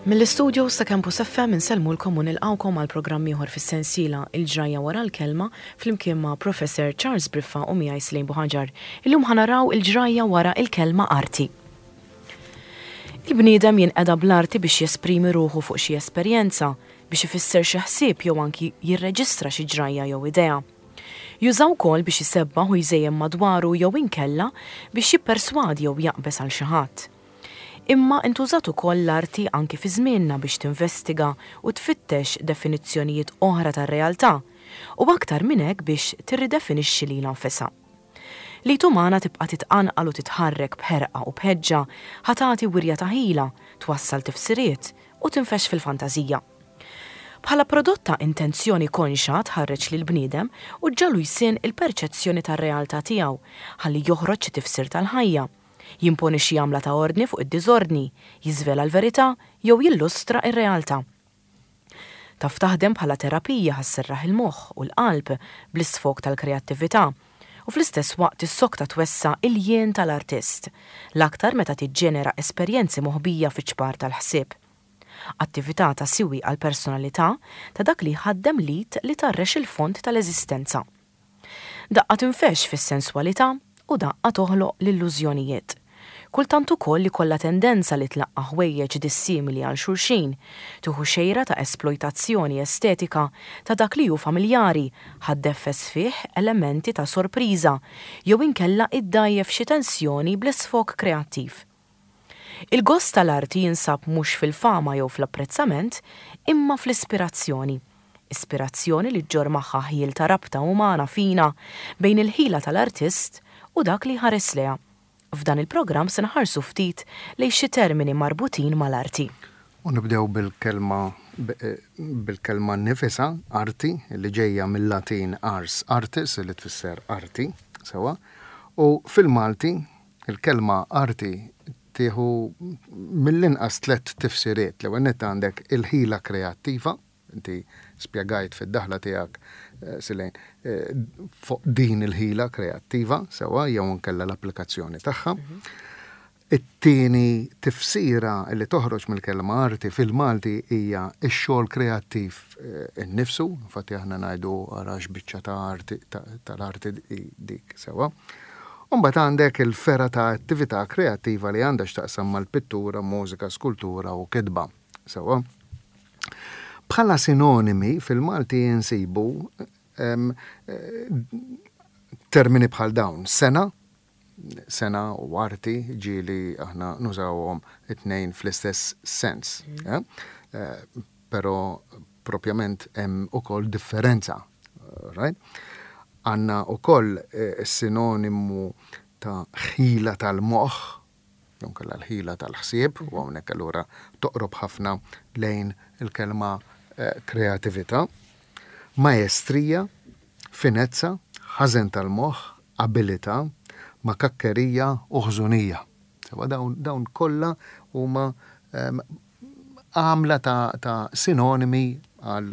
Mill-istudios ta' Campus FM insellmulkom u nilqgħukom għal programm ieħor fis-sensiela Il-Ġrajja Wara l-Kelma flimkien ma' Professor Charles Briffa u miegħi Slejn Buħaġar. Illum ħa naraw il-ġrajja wara l-kelma arti. Il-bniedem jinqeda bl-arti biex jesprimi ruħu fuq xi esperjenza, biex ifisser xi ħsieb jew anki jirreġistra xi ġrajja jew idea. Juża wkoll biex isebbaħ u jżejjen madwaru jew inkella biex jipperswadi jew jaqbeż għal xi ħadd. Imma intużat ukoll l-arti anki fi żmienna biex tinvestiga u tfittex definizzjonijiet oħra tar-realtà, u aktar minn hekk biex tirridefinixxi lilha nfisha. L-id umana tibqa' titqanqal u titħarrek b'ħerqa u b'ħeġġa ħa tagħti wirja ta' ħila, twassal tifsiriet, u tinfexx fil-fantażija. Bħala prodott ta' intenzjoni konxja tħarreġ lill-bniedem u ġġagħlu jsinn il-perċezzjoni tar-realtà tiegħu ħalli joħroġ xi tifsir tal-ħajja, jimponi xi għamla ta' ordni fuq id-diżordni, jiżvela l-verità jew jillustra r-realtà. Taf taħdem bħala terapija ħa sserraħ il-moħħ u l-qalb bl-isfog tal-kreattività u fl-istess waqt tissokta twessa' il-jien tal-artist, l-aktar meta tiġġenera esperjenzi moħbija fiċ-ċpar tal-ħsieb. Attività ta' siwi għall-personalità ta' dak li jħaddem l-id li tgħarrex il-fond tal-eżistenza. Daqqa tinfexx fis-senswalità u daqqa toħloq l-illużjonijiet. Kultant ukoll ikollha tendenza li tlaqqa' ħwejjeġ dissimili għal xulxin, tieħu xejra ta' esplojtazzjoni estetika ta' dak li hu familjari ħa ddeffes fih elementi ta' sorpriża jew inkella iddgħajjef xi tensjoni bl-isfog kreattiv. Il-gost tal-arti jinsab mhux fil-fama jew fl-apprezzament, imma fl-ispirazzjoni. Ispirazzjoni li ġġorr magħha ħjiel ta' rabta umana fina bejn il-ħila tal-artist u dak li jħares lejha. F'dan il-programm se nħarsu ftit lejn xi termini marbutin mal-arti. U nibdew bil-kelma bil-kelma nnifisha, arti, li ġejja mil-Latin ars artis, li tfisser arti, sewwa, u fil-Malti Il-kelma arti tieħu mill-inqas tlett tifsiriet. L-ewwel nett għandek il-ħila kreattiva, inti spjegajt fid-daħla tiegħek, Silejn, fuq din il-ħila kreattiva, sewwa, jew inkella l-applikazzjoni tagħha. It-tieni tifsira li toħroġ mill-kelma arti fil-Malti hija x-xogħol kreattiv innifsu, infatti aħna ngħidu ara x'biċċa ta' arti tal-arti dik, sewwa. U mbagħad għandek il-fergħa ta' attività kreattiva li għandha x'taqsam mal-pittura, mużika, skultura u kitba. Sewwa. Bħala sinonimi fil-Malti insibu termini bħal dawn, sena, sena u arti ġieli aħna nużawhom it-tnejn fl-istess sens. Mm. Eh, però propjament hemm ukoll differenza. Right? Għandna ukoll is-sinonimu ta' ħila tal-moħħ, jew inkella l-ħila tal-ħsieb, u hawnhekk allura toqrob ħafna lejn il-kelma kreatività, maestrija, finezza, ħażen tal-moħħ, abilità, makakkerija u ħżunija. Sewwa dawn dawn kollha huma għamla ta' ta' sinonimi għal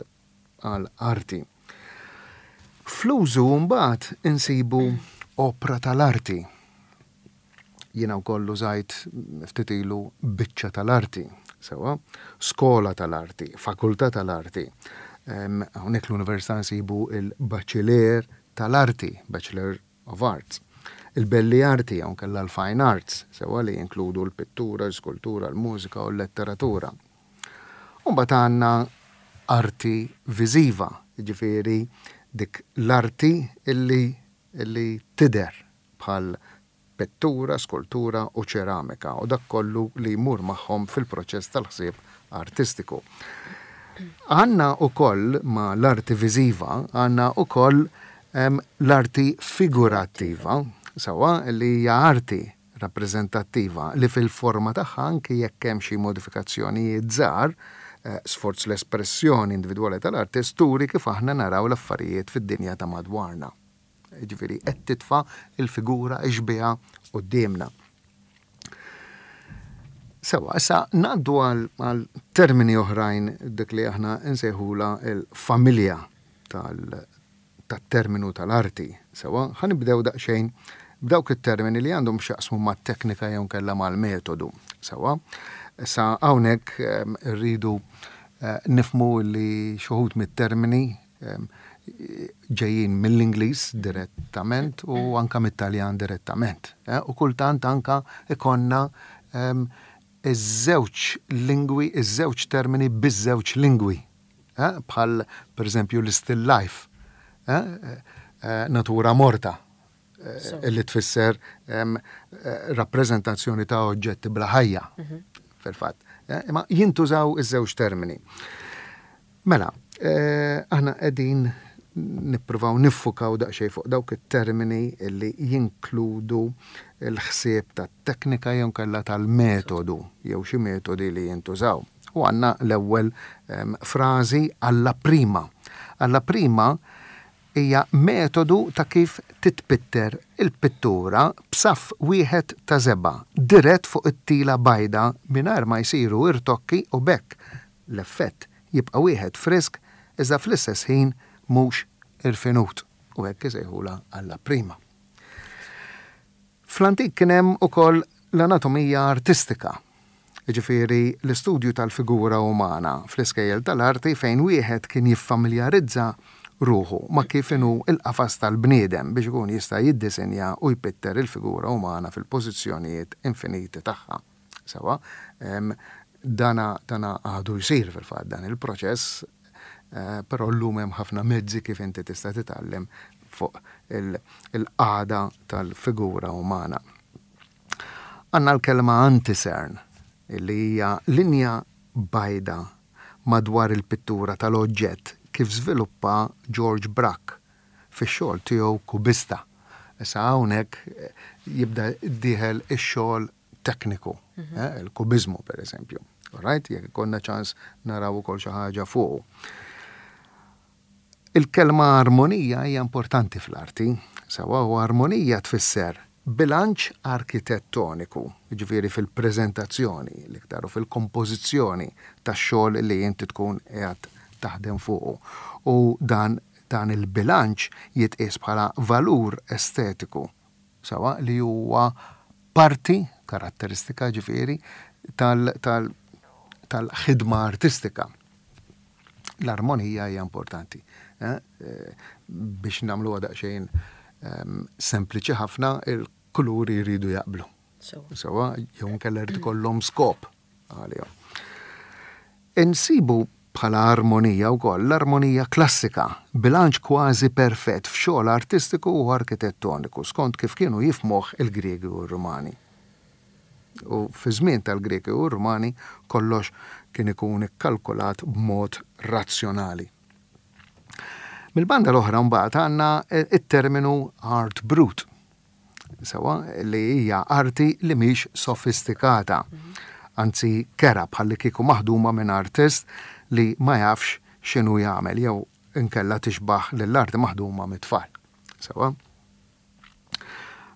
għal arti. Fl-użu mbagħad insibu opra tal-arti. Jiena wkoll użajt ftit ilu biċċa tal-arti, sewwa, skola tal-arti, fakultà tal-arti. Hawnhekk l-università nsibu il-baċiler tal-arti, Bachelor of Arts. Il-belli arti hawn kellha l-fine arts, sewwa li jinkludu l-pittura, l-iskultura, l-mużika u l-letteratura. U mbagħad għandna arti viżiva, jiġifieri dik l-arti illi illi tidher bħal pittura, skultura u ċeramika u dak kollu li jmur magħhom fil-proċess tal-ħsieb artistiku. Għandna ukoll ma' l-arti viżiva, għandna ukoll l-arti figurattiva, sewwa li hija arti rappreżentattiva li fil-forma tagħha anki jekk hemm xi modifikazzjonijiet żgħar, sforz l-espressjoni individwali tal-artist turi kif aħna naraw l-affarijiet fid-dinja ta' madwarna. Jiġifieri qed titfa' l-figura, ix-xbieha quddiemna. Sewwa, issa ngħaddu għal termini oħrajn dik li aħna nsejħulha l-familja tal tat-terminu tal-arti. Sewwa, ħa nibdew daqsxejn b'dawk it-termini li għandhom x'jaqsmu mat-teknika jew inkella mal-metodu. Sewwa. Issa hawnhekk irridu nifhmu li xi wħud mit-termini ġejjin mill-Ingliż direttament u anka mit-Taljan direttament. U kultant anka ikollna iż-żewġ lingwi, iż-żewġ termini biż-żewġ lingwi. Bħal pereżempju l-still life, natura morta, li tfisser rappreżentazzjoni ta' oġġetti bla ħajja, fil-fatt. Imma jintużaw iż-żewġ termini. Mela, aħna qegħdin nippruvaw niffukaw daqsxejn fuq dawk it-termini li jinkludu l-ħsieb tat-teknika jew inkella tal-metodu jew xi metodi li jintużaw. U għandna l-ewwel frażi alla prima. Alla prima hija metodu ta' kif titpitter il-pittura b'saff wieħed ta' żebgħa dirett fuq it-tila bajda mingħajr ma jsiru irtokki u b'hekk l-effett jibqa' wieħed frisk iżda fl-istess ħin mhux irfinut u hekk isejħulha alla prima. Fl-antik kien hemm ukoll l-anatomija artistika, jiġifieri l-istudju tal-figura umana fl-iskejjel tal-arti fejn wieħed kien jiffamiljarizza ruħu ma' kif inhu l-qafas tal-bniedem biex ikun jista' jiddisinja u jpitter il-figura umana fil-pożizzjonijiet infiniti tagħha. Sewwa, dana dana għadu jsir fil-fatt dan il-proċess, però llum hemm ħafna mezzi kif inti tista' titgħallem fuq il-qagħda tal-figura umana. Għandna l-kelma antisern, li hija linja bajda madwar il-pittura tal-oġġett kif żviluppa George Braque fix-xogħol tiegħu kubista. Issa hawnhekk jibda dieħel ix-xogħol tekniku, il-kubiżmu pereżempju. All right? Jekk ikollna ċans naraw ukoll xi ħaġa fuqu. Il-kelma armonija hija importanti fl-arti. Sewwa, u armonija tfisser bilanċ arkitettoniku, jiġifieri fil-preżentazzjoni l-iktar u fil-kompożizzjoni tax-xogħol li inti tkun qiegħed taħdem fuqu. U dan dan il-bilanċ jitqies bħala valur estetiku, sewwa, li huwa parti, karatteristika ġifieri, tal tal tal-ħidma artistika. L-armonija hija importanti. Biex nagħmluha daqsxejn sempliċi ħafna, il-kuluri jridu jaqblu. Sewwa, jew inkella jrid ikollhom skop għalihom. Insibu bħala armonija wkoll l-armonija klassika, bilanċ kważi perfett f'xogħol artistiku u arkitettoniku skont kif kienu jifhmuh il-Griegi u r-Rumani. U fiż-żmien tal-Griegi u r-Rumani kollox kien ikun ikkalkulat b'mod razzjonali. Mill-banda l-oħra mbagħad għandna t-terminu art brut, sewwa, li hija arti li mhix sofistikata, anzi kerha bħallikieku maħduma minn artist li ma jafx x'inhu jagħmel jew inkella tixbah lill-arti maħduma mit-tfal. Sewwa?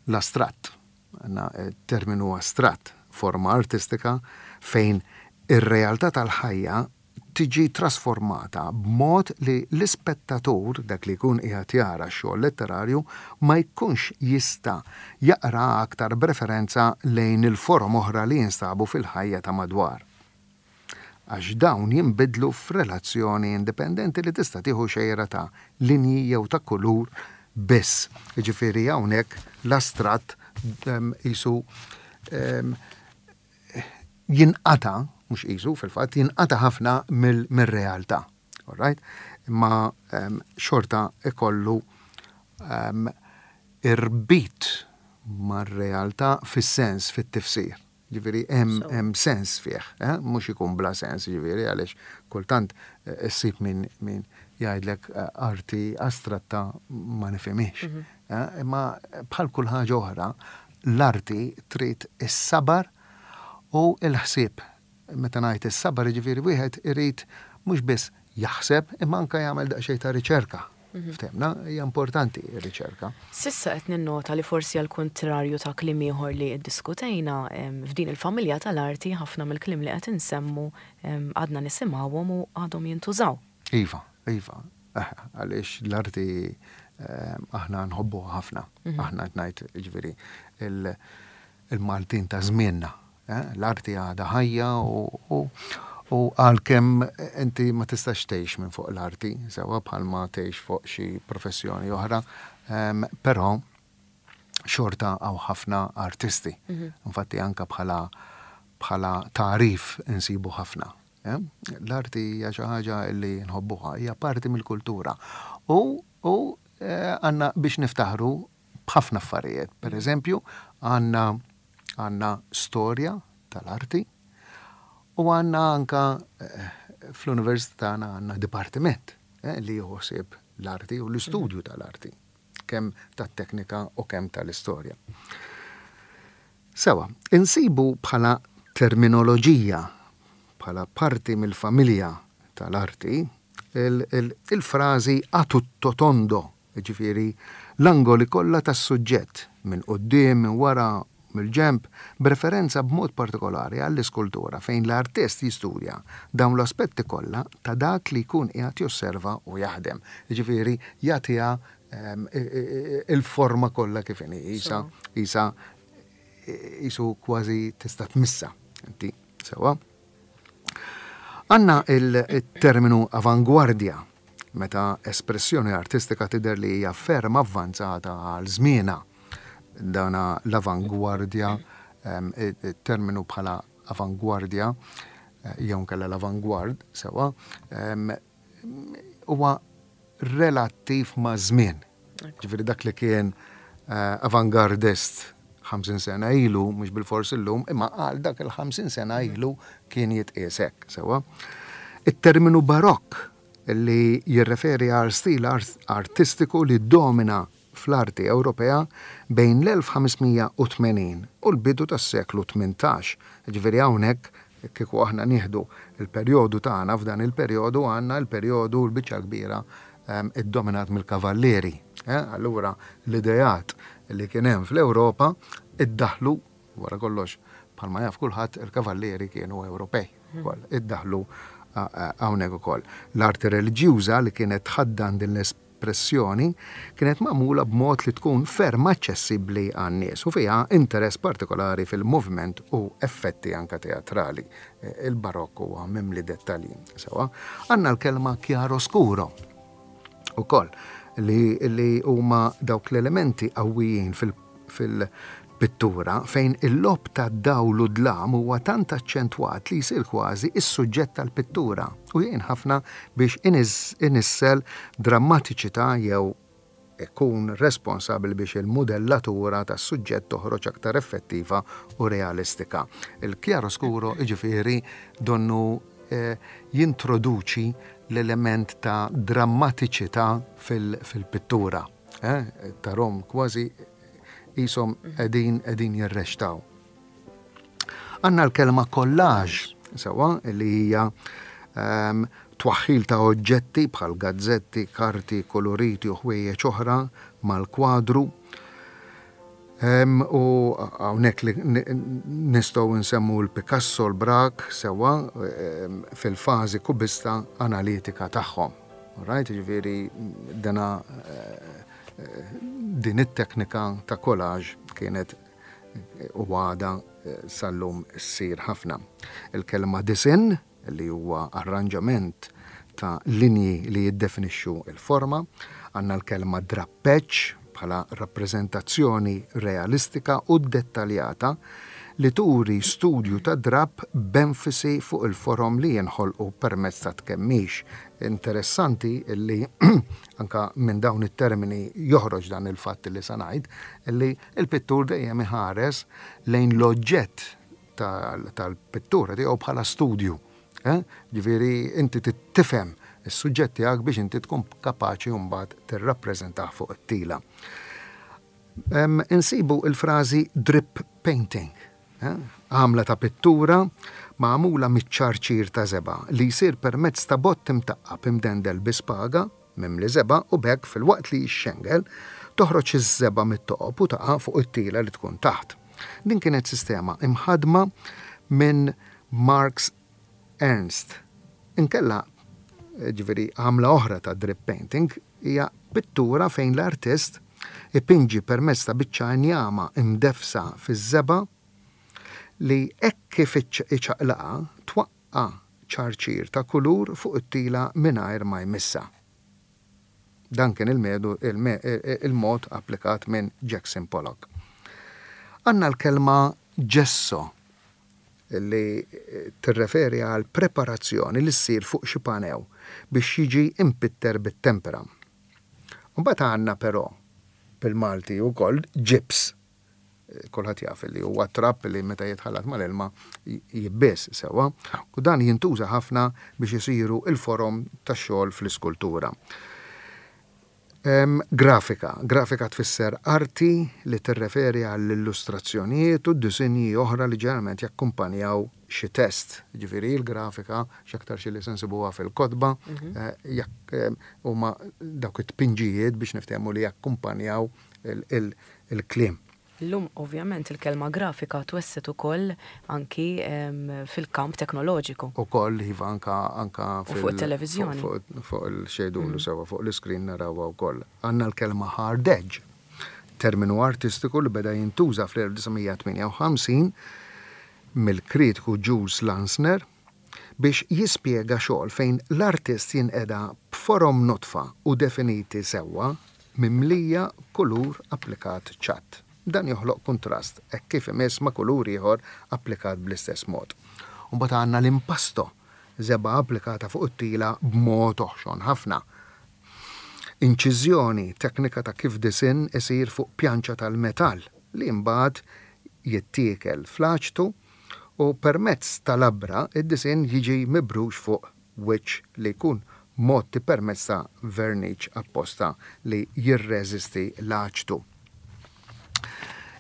L-astratt, għandna terminu astratt, forma artistika fejn ir-realtà tal-ħajja tiġi trasformata b'mod li l-ispettatur, dak li jkun qiegħed jara x-xogħol letterarju, ma jkunx jista' jaqraha aktar b'referenza lejn il-forom oħra li jinstabu fil-ħajja ta' madwar. Għax dawn jinbidlu f'relazzjoni indipendenti li tista' tieħu xejra ta' linji jew ta' kulur biss. Jiġifieri hawnhekk l-astratt qisu jinqata', mhux qisu fil-fatt, jinqata' ħafna mir-realtà. All right? Imma xorta ikollu irbit mar-realtà fis-sens, fit-tifsir. Jiġifieri hemm hemm sens fih, eh, mhux ikun bla sens, jiġifieri għaliex kultant issib min min jgħidlek arti astratta ma nifhimhiex. Eh, imma bħal kull ħaġa oħra, l-arti trid is-sabar u l-ħsieb. Meta ngħid is-sabar jiġifieri wieħed irid mhux biss jaħseb imma anke jagħmel daqsxejn ta' riċerka. Ftehmna, hija importanti r-riċerka. S'issa qed ninnota li forsi għall-kuntrarju ta' kliem ieħor li ddiskutejna, f'din il-familja tal-arti ħafna mill-kliem li qed insemmu għadna nisimgħuhom u għadhom jintużaw. Iva, iva. Għaliex l-arti aħna nħobbuha ħafna. Aħna qed ngħid, jiġifieri, il-Maltin ta' żmienna. L-arti għadha ħajja u u għalkemm inti ma tistax tgħix minn fuq l-arti, sewwa bħalma tgħix fuq xi professjoni oħra, però xorta hawn ħafna artisti. Infatti anke bħala bħala tagħrif insibu ħafna. L-arti hija xi ħaġa li nħobbuha, hija parti mill-kultura. U u għandna biex niftaħru b'ħafna affarijiet. Per eżempju, għandna għandna storja tal-arti u għandna anka fl-università tagħna għandna dipartiment li jieħu ħsieb l-arti u l-istudju tal-arti, kemm tat-teknika u kemm tal-istorja. Sewa, insibu bħala terminoloġija, bħala parti mill-familja tal-arti, il-frażi a tutto tondo, jiġifieri l-angoli kollha tas-suġġett, minn quddiem, minn wara, mill-ġenb, b'referenza b'mod partikolari għall-iskultura fejn l-artist jistudja dawn l-aspetti kollha ta' dak li jkun qiegħed josserva u jaħdem. Jiġifieri jagħtiha il-forma kollha kif inhi, qisha qisha qisu kważi tista' tmissha inti, sewwa. Għandna il-terminu avangwardja meta espressjoni artistika tidher li hija ferm avvanzata għal żmienha. Dana l-avangwardja, it-terminu bħala avangwardja jew inkella l-avangward sewwa, huwa relattiv maż-żmien. Ġifieri dak li kien avangardist 50 sena ilu, mhux bilfors illum, imma għal dak il-50 sena ilu kien jitqies hekk, sewwa. It-terminu barokk li jirreferi għal stil artistiku li ddomina fl-arti Ewropea bejn l-1580 u l-bidu tas-seklu 18. Ġifieri hawnhekk kieku aħna nieħdu l-perjodu tagħna f'dan il-perjodu għandna l-perjodu l-biċċa l-kbira iddominat mill-kavallieri. Allura l-ideat li kien hemm fl-Ewropa iddaħħlu, wara kollox bħalma jaf kulħadd il-kavallieri kienu Ewropej ukoll, iddaħħlu hawnhekk ukoll. L-arti reliġjuża li kienet tħaddan din l-espressjoni kienet magħmula b'mod li tkun ferm aċċessibbli għan-nies u fiha interess partikolari fil-moviment u effetti anke teatrali. Il-Barokk huwa mimli dettalji. Sewwa, għandna l-kelma chiaroscuro ukoll li, li huma dawk l-elementi qawwijin fil-pittura fejn il-lob ta' dawl u dlam huwa tant aċċentwat li jsir kważi is-suġġett tal-pittura u jgħin ħafna biex inissel drammatiċità jew ikun responsabbli biex il-mudellatura tas-suġġett toħroġ aktar effettiva u realistika. Il-chiaroscuro jiġifieri donnu jintroduċi l-element ta' drammatiċità fil-pittura. Tarhom kważi qishom qegħdin qegħdin jirrextaw. Għandna l-kelma collage, sewwa, li hija ehm, twaħħil ta' oġġetti bħal gazzetti, karti, koloriti u ħwejjeġ oħra mal-kwadru. Ehm, u hawnhekk li nistgħu nsemmu l-Picasso, l-Braque, sewwa ehm, fil-fażi kubista analitika tagħhom. Right, ġifieri dana eh, eh, din it-teknika ta' collage kienet u għadha sal-lum ssir ħafna. Il-kelma disinn, li huwa arranġament ta' linji li jiddefinixxu l-forma. Għandna l-kelma drappeġġ bħala rappreżentazzjoni realistika u ddettaljata li turi studju ta' drapp b'enfasi fuq il-forom li jinħolqu permezz ta' tkemmix. Interessanti li anke minn dawn it-termini joħroġ dan il-fatt li sa ngħid li Il-pittur dejjem iħares lejn l-oġġett tal-pittura tiegħu bħala studju. Eh? Ġifieri inti tifhem is-suġġett tiegħek biex inti tkun kapaċi mbagħad tirrappreżentah fuq it-tila. Insibu il-frażi drip painting, eh? għamla ta' pittura magħmula miċ-ċarċir ta' żebgħa li jsir permezz ta' bott imtaqqab imdendel bi spaga mimli żebgħa u b'hekk filwaqt li jixxengel, toħroġ iż-żebgħa mit-toqob u taqa' fuq it-tila li tkun taħt. Din kienet sistema imħaddma minn Marx Ernst. Inkella, jiġifieri għamla oħra ta' drip painting hija pittura fejn l-artist ipinġi permezz ta' biċċa injama imdeffsa fiż-żebgħa. li hekk kif iċaqlaqha twaqqa' ċarċir ta' kulur fuq it-tila mingħajr ma jmissha. Dan kien il-mod applikat minn Jackson Pollock. Għandna l-kelma gesso li tirreferi għal preparazzjoni li ssir fuq xi panew biex jiġi impitter bit-tempera. Imbagħad għandna però bil-Malti wkoll ġibs. Kulħadd jaf li huwa trab li meta jitħallat mal-ilma jibbies sewwa u dan jintuża ħafna biex isiru l-forom tax-xogħol fl-iskultura. Grafika. Grafika tfisser arti li tirreferi għall-illustrazzjonijiet u disinji oħra li ġeneralment jakkumpanjaw xi test. Jiġifieri l-grafika x'aktarx li se nsibuha fil-kotba, huma dawk it-tpinġijiet biex niftehmu li jakkumpanjaw il-kliem. Illum ovvjament il-kelma grafika twessgħet ukoll anki fil-kamp teknoloġiku. Ukoll, iva, anka anka fil- U fuq it-televiżjoni. Fuq il-xejdulu sewwa fuq l-iskrin narawha wkoll. Għandna l-kelma hard edge, terminu artistiku li beda jintuża fl-1958 mill-kritiku Jules Lansner biex jispjega xogħol fejn l-artist jinqeda b'forom nodfa u definiti sewwa mimlija kulur applikat ċatt. Dan joħloq kuntrast hekk kif imiss ma' kulur ieħor applikat bl-istess mod. U mbagħad għandna l-impasto, żebgħa applikata fuq it-tila b'mod oħxon ħafna. Inċiżjoni, teknika ta' kif disinn isir fuq pjanċa tal-metall li mbagħad jittiekel fl-aċtu u permezz ta' labra d-disinn jiġi mibrux fuq wiċċ li jkun mgħotti permezz ta' verniċ apposta li jirreżisti l-aċtu.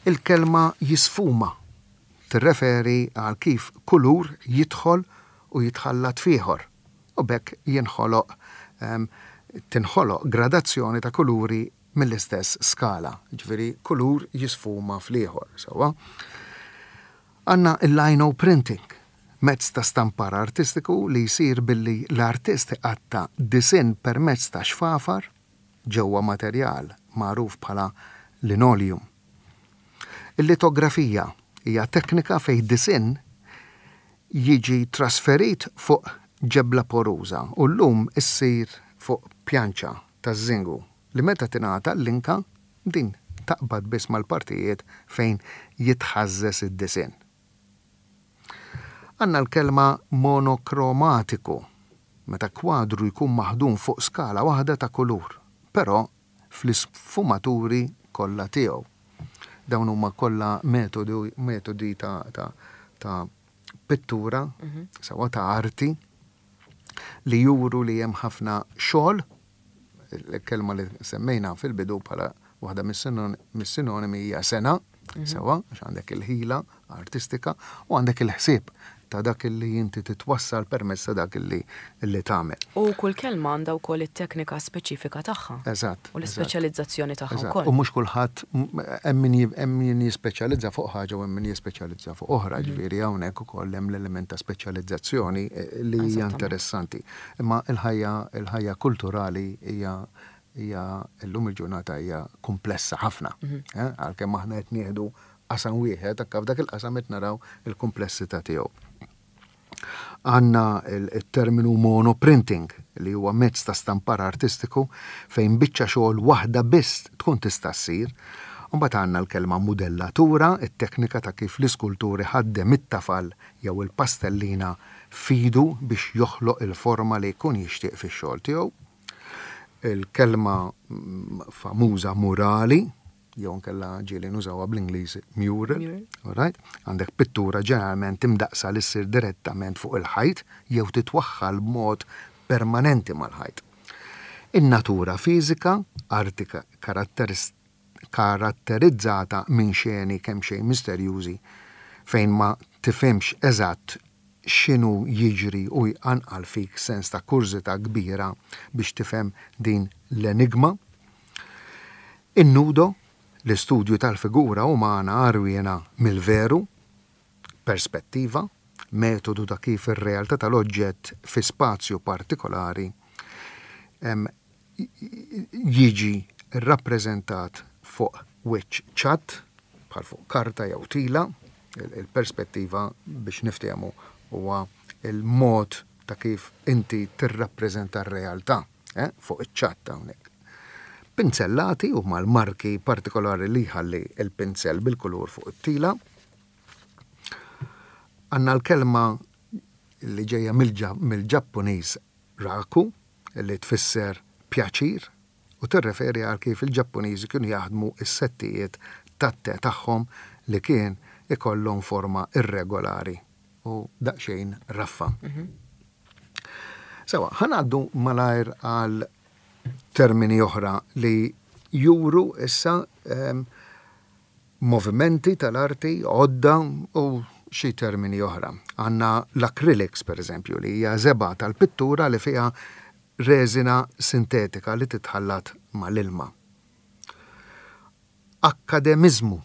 Il-kelma jisfuma tirreferi għal kif kulur jidħol u jitħallat f'ieħor u b'hekk jinħoloq tinħoloq gradazzjoni ta' kuluri mill-istess skala, jiġifieri kulur jisfuma fl-ieħor, sewwa. Għandna l-lino printing, mezz ta' stampar artistiku li jsir billi l-artist iqatta' disinn permezz ta' xfafar ġewwa materjal magħruf bħala linoleum. Il-litografija hija teknika fejn disinn jiġi trasferit fuq ġebla poruża u llum issir fuq pjanċa taż-żingu li meta tingħata l-linka din taqbad biss mal-partijiet fejn jitħażżeż id-disinn. Għandna l-kelma monokromatiku meta kwadru jkun maħdum fuq skala waħda ta' kulur, però fl-isfumaturi kollha tiegħu. Dawn huma kollha metodi ta' ta' ta' pittura, sewwa ta' arti, li juru li hemm ħafna xogħol, il-kelma li semmejna fil-bidu bħala waħda mis-sinonimi hija sengħa, sewwa, għax għandek il-ħila artistika u għandek il-ħsieb ta' dak li inti titwassal permezz ta' dak li tagħmel. U kull kelma għandha wkoll it-teknika speċifika tagħha. Eżatt. U l-ispeċjalizzazzjoni tagħha wkoll. U mhux kulħadd hemm min jispeċjalizza fuq ħaġa u hemm min jispeċjalizza fuq oħra, ġifieri hawnhekk ukoll hemm l-element ta' speċjalizzazzjoni li hija interessanti. Imma l-ħajja l-ħajja kulturali hija hija llum il-ġurnata hija kumplessa ħafna. Għalkemm aħna qed nieħdu qasam wieħed, anke f'dak il-qasam qed naraw il-kumplessità tiegħu. Għandna il-terminu monoprinting li huwa mezz ta' stampar artistiku fejn biċċa xogħol waħda biss tkun tista' ssir. Imbagħad għandna l-kelma mudellatura, it-teknika ta' kif l-iskultur iħaddem it-tafal jew il-pastellina f'idu biex joħloq il-forma li jkun jixtieq fix-xogħol tiegħu. Il-kelma famuża murali, jew inkella ġieli nużawha bl-Ingliż mural, alright? Għandek pittura ġeneralment imdaqqsa li ssir direttament fuq il-ħajt jew titwaħħal b'mod permanenti mal-ħajt. In-natura fiżika, arti karatterizzata minn xeni kemxejn misterjużi fejn ma tifhimx eżatt x'inhu jiġri u jqanqal fik sens ta' kurżità kbira biex tifhem din l-enigma. In-nudo, l-istudju tal-figura umana għarwiena mill-veru, perspettiva, metodu ta' kif ir-realtà tal-oġġett fi spazju partikolari jiġi rrappreżentat fuq wiċċ ċatt, bħal fuq karta jew tila. Il-perspettiva biex niftehmu huwa il-mod ta' kif inti tirrappreżenta r-realtà eh, fuq iċ-ċatt hawnhekk. Pinzellati huma l-marki partikolari li jħalli l-pinzell bil-kulur fuq it-tila. Għandna l-kelma li ġejja mill-Ġappuniż raku, li tfisser pjaċir u tirreferi għal kif il-Ġappuniżi kienu jaħdmu s-settijiet tat-te tagħhom li kien ikollhom forma irregolari u daqsxejn raffa. Sewa, ħa ngħaddu malajr għal termini oħra li juru issa ehm, movimenti tal-arti, għodda u xi termini oħra. Għandna l-acrylics, per eżempju, li hija żebgħa tal-pittura li fiha reżina sintetika li titħallat mal-ilma. Akkademiżmu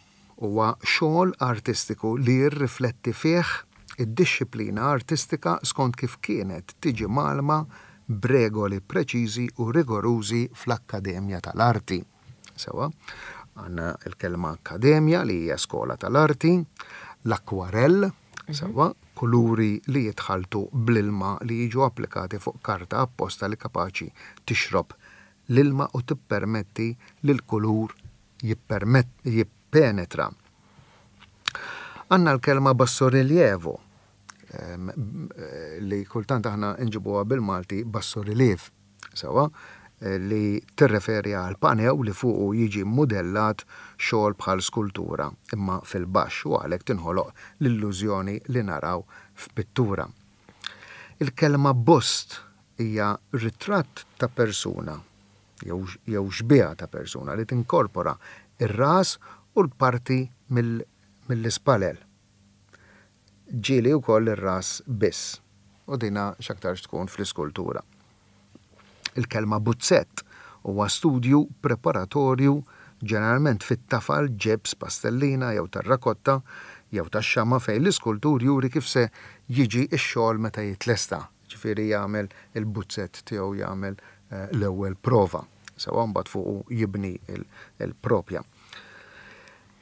huwa xogħol artistiku li jirrifletti fih id-dixxiplina artistika skont kif kienet tiġi mgħallma b'regoli preċiżi u rigorużi fl-akkademja tal-arti. Sewwa, għandna l-kelma akkademja li hija skola tal-arti, l-akkwarell, mhm. sewwa, kuluri li jitħalltu bl-ilma li jiġu applikati fuq karta apposta li kapaċi tixrob l-ilma u tippermetti li l-kulur jippenetra. Għandna l-kelma bassorilievo, ehm, li kultant aħna nġibuha bil-Malti bassoriliev. Sewwa, li tirreferi għal panew li fuqu jiġi mmudellat xogħol bħal skultura, imma fil-baxx u għalhekk tinħoloq l-illużjoni li naraw f'pittura. Il-kelma bust hija ritratt ta' persuna jew jew xbieha ta' persuna li tinkorpora r-ras u l-parti mill-ispalel. Ġieli wkoll ir-ras biss, u dina x'aktarx tkun fl-iskultura. Il-kelma buzzett huwa studju preparatorju ġeneralment fit-tafal, ġibs, pastellina jew terrakotta jew tax-xama' fejn l-iskultur juri kif se jiġi x-xogħol meta jitlesta, jiġifieri jagħmel il-buzzett tiegħu jagħmel l-ewwel prova, sewwa mbagħad fuqu jibni l-propja.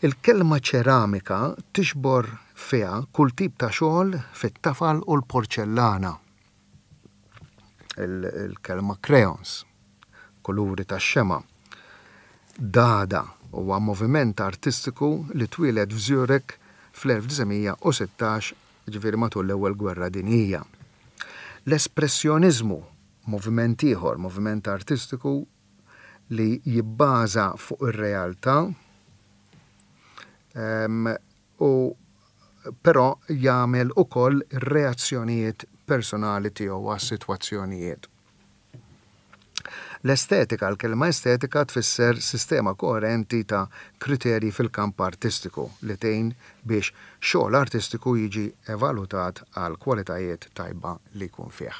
Il-kelma ċeramika tiġbor fiha kull tip ta' xogħol fit-tafal u l-porċellana. Il-kelma crayons, kuluri tax-xemgħa. Dada huwa moviment artistiku li twieled f'Zurich fl-1916, jiġifieri matul l-Ewwel Gwerra Dinjija. L-espressjoniżmu, moviment ieħor, moviment artistiku li jibbaża fuq ir-realtà u però jagħmel ukoll ir-reazzjonijiet personali tiegħu għas-sitwazzjonijiet. L-estetika, l-kelma estetika tfisser sistema koerenti ta' kriterji fil-kamp artistiku li tgħin biex xogħol artistiku jiġi evalutat għall-kwalitajiet tajba li jkun fih.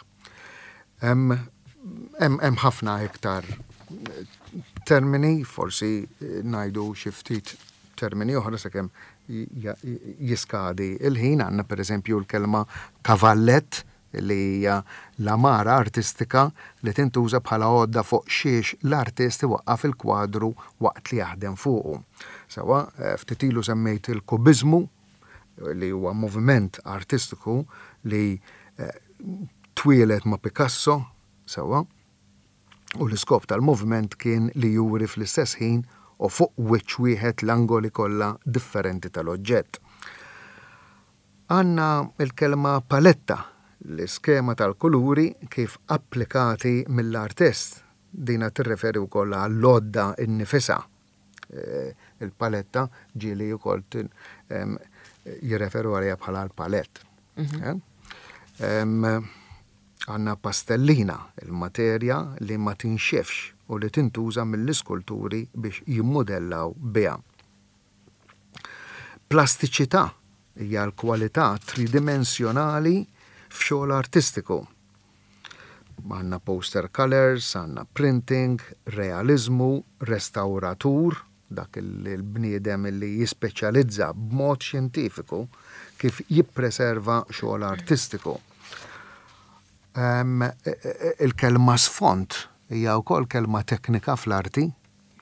Hemm hemm ħafna iktar termini, forsi ngħidu xi ftit termini oħra sakemm jiskadi il-ħin, għandna pereżempju l-kelma kavallett li hija l-għamara artistika li tintuża bħala għodda fuq xiex l-artist iwaqqaf il-kwadru waqt li jaħdem fuqu. Sewwa, ftit ilu semmejt il-kubiżmu, li huwa moviment artistiku li twieled ma' Picasso, sewwa, u l-iskop tal-moviment kien li juri fl-istess ħin u fuq wiċċ wieħed l-angoli kollha differenti tal-oġġett. Għandna l-kelma paletta, l-iskema tal-kuluri kif applikati mill-artist. Dina tirreferi wkoll għall-għodda nnifisha. Il-paletta ġieli wkoll jirreferu għaliha bħala l-palett. Mhm. Għandna pastellina, il-materja li ma tinxifx u li tintuża mill-iskulturi biex jimmudellaw biha. Plastiċità hija l-kwalità tridimensjonali f'xogħol artistiku. Għandna poster colours, għandna printing, realiżmu, restawratur, dak il-bniedem li jispeċjalizza b'mod xjentifiku kif jippreserva xogħol artistiku. Il-kelma sfond hija wkoll kelma teknika fl-arti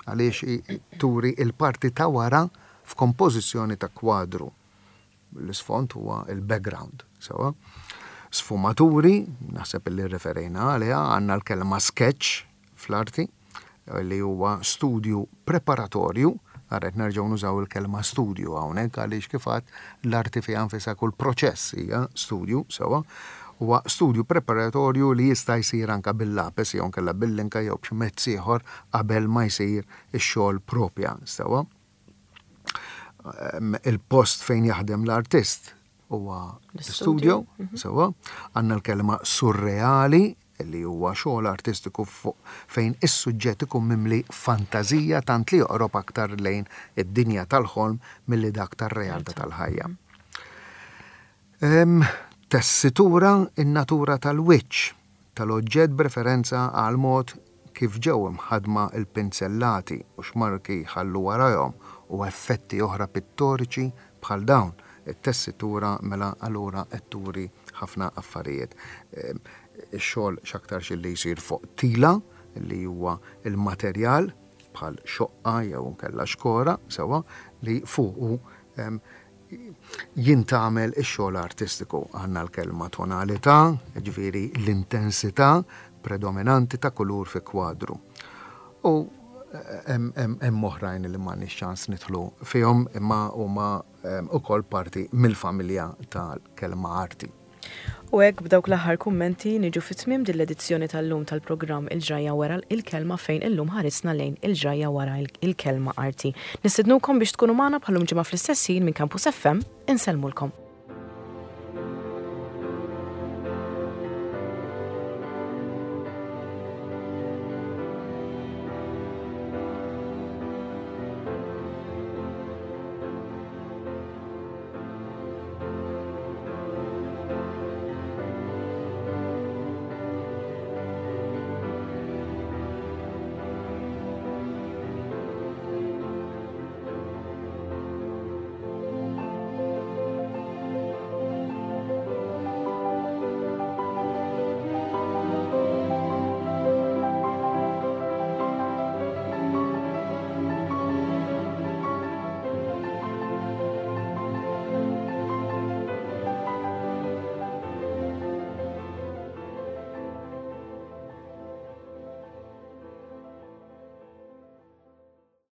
għaliex turi l-parti ta' wara f'kompożizzjoni ta' kwadru. L-isfond huwa il-background, sewwa. Sfumaturi, naħseb li referejna għaliha, għandna l-kelma sketch fl-arti, li huwa studju preparatorju, ara qed nerġgħu nużaw il-kelma studju hawnhekk għaliex kif għedt l-arti fiha nfisha kull proċess hija studju, sewwa, huwa studju preparatorju li jista' jsir anke bil-lapes jew inkella bil-linka jew b'xi mezz ieħor qabel ma jsir ix-xogħol propja, sewwa. Il-post fejn jaħdem l-artist huwa l-studio, mhm. sewwa. Għandna l-kelma surreali li huwa xogħol artistiku fuq fejn is-suġġett ikun mimli fantażija tant li joqrob aktar lejn id-dinja tal-ħolm milli dak tar-realtà tal-ħajja. Tessitura in-natura tal-wiċċ tal-oġġett b'referenza għall-mod kif ġew imħaddma l-pinzellati u x'marki jħallu warajhom u effetti oħra pittoriċi bħal dawn. It-tessitura mela allura qed turi ħafna affarijiet. Ix-xogħol x'aktarx illi jsir fuq tila li huwa l-materjal bħal xoqqa jew inkella xkora sewwa li fuqu jintgħamel ix-xogħol artistiku. Għandna l-kelma tonalità, jiġifieri l-intensità predominanti ta' kulur fi kwadru. U hemm oħrajn li m'għandniex ċans nidħlu fihom imma huma ukoll parti mill-familja tal-kelma arti. U hekk b'dawk l-aħħar kummenti niġu fi tmiem din l-edizzjoni tal-lum tal-programm Il-Ġrajja Wara l-Kelma fejn illum ħarisna lejn il-ġrajja wara il-kelma arti. Nistednukom biex tkunu magħna bħal-lum ġimgħa fl-istess ħin minn Campus FM, insellmulkom.